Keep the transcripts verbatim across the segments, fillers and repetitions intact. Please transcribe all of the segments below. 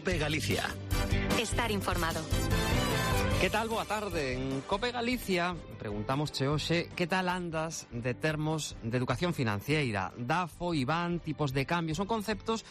COPE Galicia. Estar informado. Que tal? Boa tarde. En COPE Galicia preguntamos che hoxe que tal andas de termos de educación financiera. DAFO, I B A N, tipos de cambio, son conceptos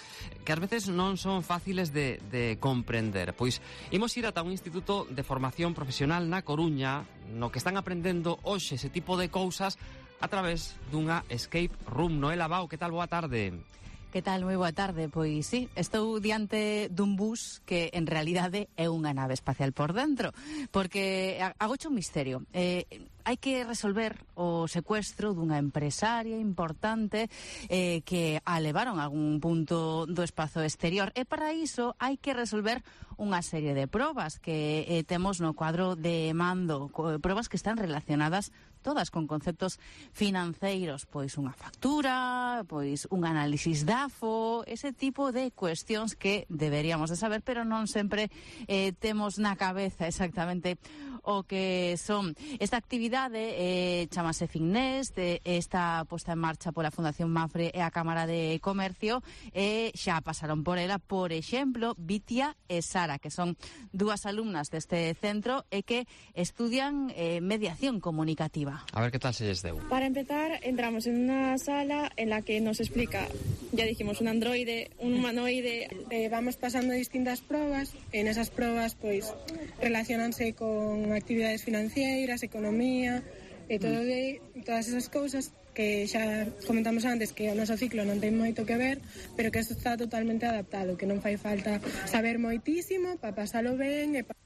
que ás veces non son fáciles de, de comprender. Pois imos ir ata un instituto de formación profesional na Coruña no que están aprendendo hoxe ese tipo de cousas a través dunha escape room. Noela Bao, que tal? Boa tarde. Que tal? Moi boa tarde. Pois sí, estou diante dun bus que en realidade é unha nave espacial por dentro, porque agocho un misterio. Eh, hai que resolver o secuestro dunha empresaria importante eh, que a levaron a algún punto do espazo exterior, e para iso hai que resolver unha serie de probas que eh, temos no cuadro de mando, probas que están relacionadas todas con conceptos financeiros, pois unha factura, pois un análisis DAFO, ese tipo de cuestións que deberíamos de saber, pero non sempre eh, temos na cabeza exactamente o que son. Esta actividade eh, chamase Finnest, eh, está posta en marcha pola Fundación Mafre e a Cámara de Comercio, e eh, xa pasaron por ela, por exemplo, Vitia e Sara, que son dúas alumnas deste centro e que estudian eh, mediación comunicativa. A ver, ¿qué tal se les deu? Para empezar, entramos en una sala en la que nos explica, ya dijimos, un androide, un humanoide. Eh, vamos pasando distintas probas. En esas probas, pues, relacionanse con actividades financieras, economía, e todo de, todas esas cousas que xa comentamos antes, que o noso ciclo non ten moito que ver, pero que isto está totalmente adaptado, que non fai falta saber moitísimo para pasalo ben e pa...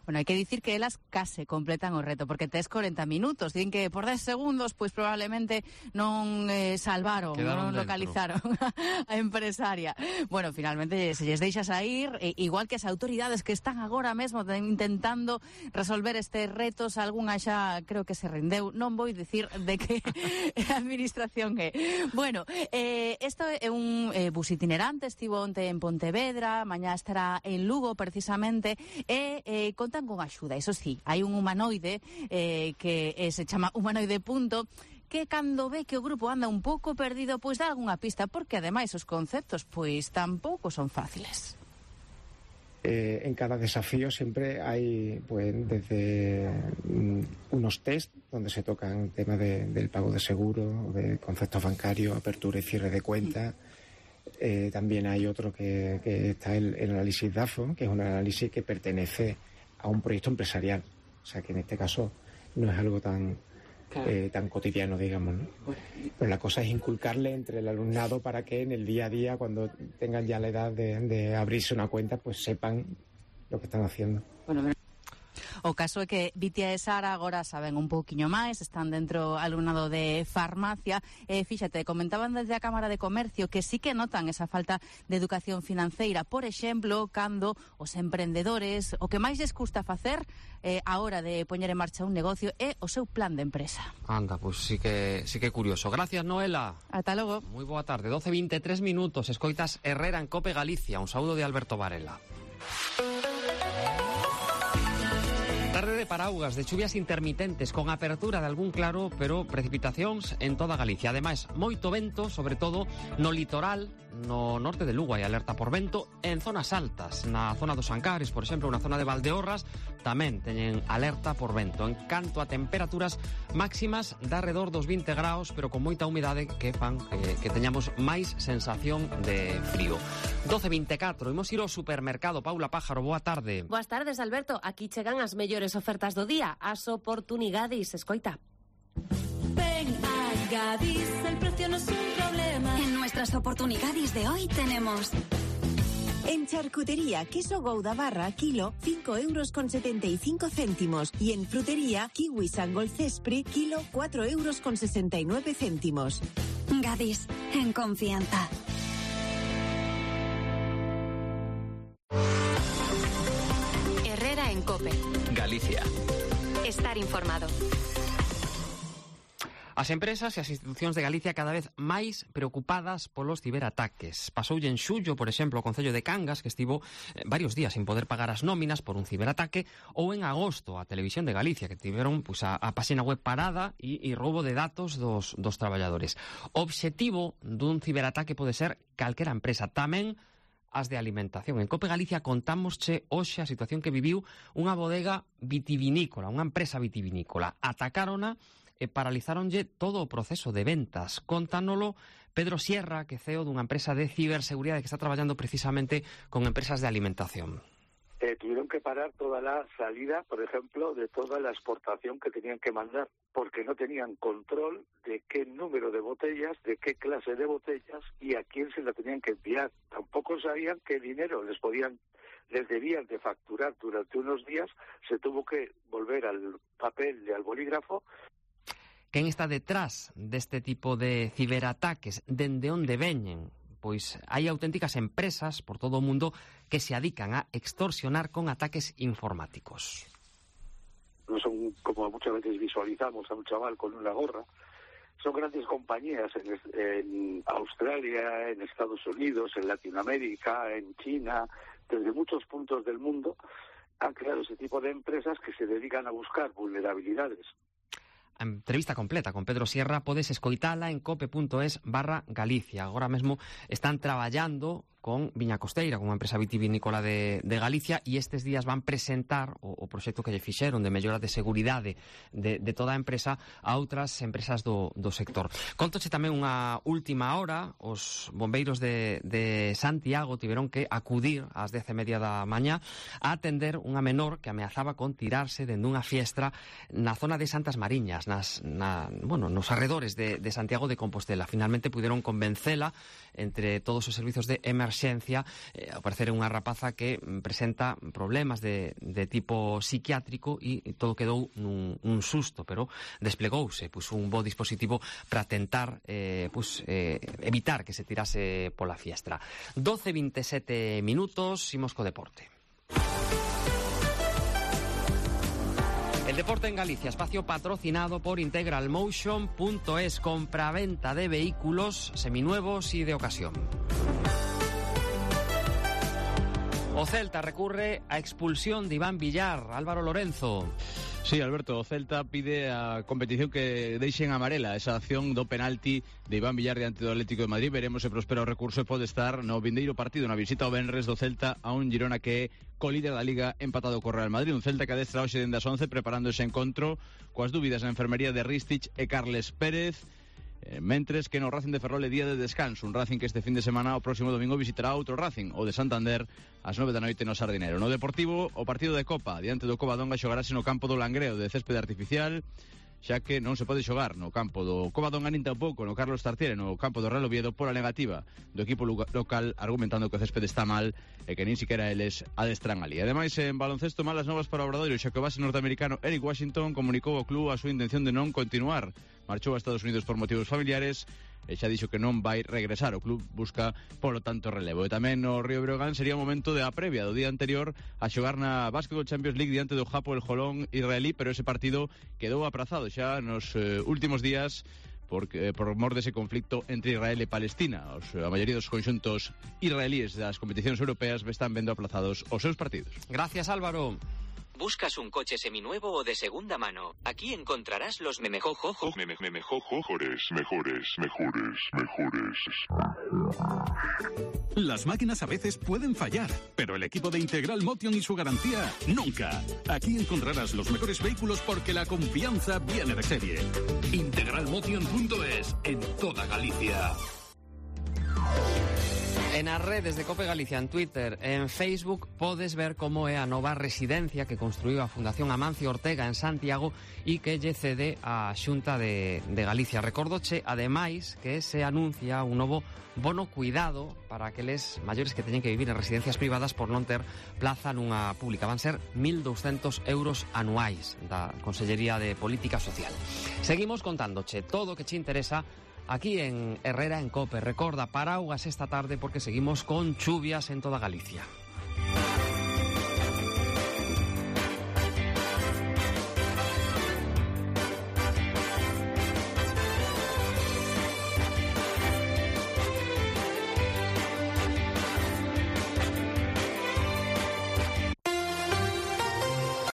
Bueno, hai que dicir que elas case completan o reto, porque tes corenta minutos, din que por dez segundos, pois probablemente non eh, salvaron, quedaron non dentro. localizaron a empresaria. Bueno, finalmente se lles deixa sair, eh, igual que as autoridades que están agora mesmo intentando resolver estes retos, algunha xa creo que se rendeu, non vou dicir de que a administración é. Bueno, eh, isto é un eh, bus itinerante, estivo onte en Pontevedra, mañá estará en Lugo precisamente, e eh, conta con axuda. Eso sí, hai un humanoide eh, que eh, se chama humanoide punto, que cando ve que o grupo anda un pouco perdido, pois dá algunha pista, porque ademais os conceptos pois tampouco son fáciles. Eh, en cada desafío siempre hay, pues, desde mm, unos test donde se tocan temas de, del pago de seguro, de conceptos bancarios, apertura y cierre de cuentas. Eh, también hay otro que, que está el, el análisis DAFO, que es un análisis que pertenece a un proyecto empresarial, o sea que en este caso no es algo tan claro. eh, tan cotidiano, digamos, ¿no? Pero la cosa es inculcarle entre el alumnado para que en el día a día, cuando tengan ya la edad de, de abrirse una cuenta, pues sepan lo que están haciendo. Bueno, o caso é que Vitia e Sara agora saben un pouquiño máis, están dentro alumnado de farmacia, e eh, fíxate, comentaban desde a Cámara de Comercio que sí que notan esa falta de educación financeira, por exemplo, cando os emprendedores o que máis les custa facer eh, a hora de poñer en marcha un negocio é o seu plan de empresa. Anda, pois pues sí que sí que curioso. Gracias, Noela. Ata logo. Moi boa tarde, doce e vinte e tres minutos, escoitas Herrera en COPE Galicia. Un saúdo de Alberto Varela. Tarde de paraugas, de chuvias intermitentes, con apertura de algún claro, pero precipitacións en toda Galicia. Ademais, moito vento, sobre todo no litoral, no norte de Lugo hai alerta por vento, en zonas altas, na zona dos Ancares, por exemplo, na zona de Valdeorras, tamén teñen alerta por vento. En canto a temperaturas máximas, de alrededor dos vinte graus, pero con moita humidade que fan que, que teñamos máis sensación de frío. doce e vinte e catro, imos ir ao supermercado. Paula Pájaro, boa tarde. Boas tardes, Alberto. Aquí chegan as mellores ofertas do día, as oportunidades, escoita. Ven a Gadis, el precio no es un problema. En nuestras oportunidades de hoy tenemos... En charcutería, queso Gouda barra, kilo, cinco euros con setenta y cinco céntimos. Y en frutería, kiwi Sangol Cespri, kilo, cuatro euros con sesenta y nueve céntimos. Gadis, en confianza. Herrera en COPE. Galicia. Estar informado. As empresas e as institucións de Galicia cada vez máis preocupadas polos ciberataques. Pasoulle en xullo, por exemplo, o Concello de Cangas, que estivo eh, varios días sin poder pagar as nóminas por un ciberataque, ou en agosto a Televisión de Galicia, que tiveron pues, a, a páxina web parada e, e roubo de datos dos, dos traballadores. O obxectivo dun ciberataque pode ser calquera empresa, tamén as de alimentación. En Cope Galicia contámosche hoxe a situación que viviu unha bodega vitivinícola, unha empresa vitivinícola. Atacárona e paralizáronlle todo o proceso de ventas. Contánolo Pedro Sierra, que é C E O dunha empresa de ciberseguridade que está traballando precisamente con empresas de alimentación. Eh, tuvieron que parar toda la salida, por ejemplo, de toda la exportación que tenían que mandar, porque no tenían control de qué número de botellas, de qué clase de botellas y a quién se la tenían que enviar. Tampoco sabían qué dinero les podían, les debían de facturar durante unos días. Se tuvo que volver al papel y al bolígrafo. Quen está detrás deste tipo de ciberataques? Dende onde veñen? Pois hai auténticas empresas por todo o mundo que se adican a extorsionar con ataques informáticos. No son como muchas veces visualizamos a un chaval con una gorra. Son grandes compañías en, en Australia, en Estados Unidos, en Latinoamérica, en China, desde muchos puntos del mundo han creado ese tipo de empresas que se dedican a buscar vulnerabilidades. A entrevista completa con Pedro Sierra podes escoitala en cope.es barra Galicia. Agora mesmo están traballando con Viña Costeira, con unha empresa vitivinícola de, de Galicia, e estes días van presentar o, o proxecto que lle fixeron de mellora de seguridade de, de toda a empresa a outras empresas do, do sector. Contoche tamén unha última hora, os bombeiros de, de Santiago tiveron que acudir ás dez e media da mañá a atender unha menor que ameazaba con tirarse dende unha fiestra na zona de Santas Mariñas, nas, na, bueno, nos arredores de, de Santiago de Compostela. Finalmente puderon convencela entre todos os servizos de emerxencia. Eh, ao parecer é unha rapaza que presenta problemas de, de tipo psiquiátrico e todo quedou nun un susto, pero desplegouse pues, un bo dispositivo para tentar eh, pues, eh, evitar que se tirase pola fiestra. doce e veintesete minutos, imos co deporte. El deporte en Galicia, espacio patrocinado por Integral Motion punto es, compra-venta de vehículos seminuevos y de ocasión. O Celta recurre a expulsión de Iván Villar. Álvaro Lorenzo. Sí, Alberto, o Celta pide a competición que deixen amarela esa acción do penalti de Iván Villar diante do Atlético de Madrid. Veremos se prospera o recurso e pode estar no vindeiro partido, na visita ao venres do Celta a un Girona que é colíder da Liga empatado co Real Madrid. Un Celta que adestra hoxe dende as once preparando ese encontro coas dúbidas na enfermería de Ristich e Carles Pérez. Eh, mentres que no Racing de Ferrol é día de descanso, un Racing que este fin de semana o próximo domingo visitará outro Racing, o de Santander, ás nove da noite no Sardinero. No Deportivo, o partido de Copa diante do Covadonga xogarase no campo do Langreo de céspede artificial, xa que non se pode xogar no campo do Covadonga nin tampouco no Carlos Tartiere, no campo do Real Oviedo, pola negativa do equipo local, argumentando que o céspede está mal e que nin siquiera eles adestran ali. Ademais, en baloncesto, malas novas para o Obradoiro, xa que o base norteamericano Eric Washington comunicou ao club a súa intención de non continuar. Marchou a Estados Unidos por motivos familiares e xa dixo que non vai regresar. O club busca, polo tanto, relevo. E tamén no Río Breogán sería o momento de a previa do día anterior a xogar na Basketball Champions League diante do Japo el Jolón israelí, pero ese partido quedou aprazado xa nos eh, últimos días porque, por mor dese conflicto entre Israel e Palestina. Os, a maioría dos conxuntos israelíes das competicións europeas están vendo aplazados os seus partidos. Gracias, Álvaro. ¿Buscas un coche seminuevo o de segunda mano? Aquí encontrarás los memejojojo... Meme, memejojojores, mejores, mejores, mejores. Las máquinas a veces pueden fallar, pero el equipo de Integral Motion y su garantía, nunca. Aquí encontrarás los mejores vehículos porque la confianza viene de serie. Integral Motion punto es, en toda Galicia. En as redes de Cope Galicia, en Twitter, en Facebook, podes ver como é a nova residencia que construiu a Fundación Amancio Ortega en Santiago e que lle cede a Xunta de, de Galicia. Recordoche, ademais, que se anuncia un novo bono cuidado para aqueles maiores que teñen que vivir en residencias privadas por non ter plaza nunha pública. Van ser mil douscentos euros anuais da Consellería de Política Social. Seguimos contándoche todo o que che interesa aquí en Herrera en Cope. Recorda, paraugas esta tarde porque seguimos con chuvias en toda Galicia.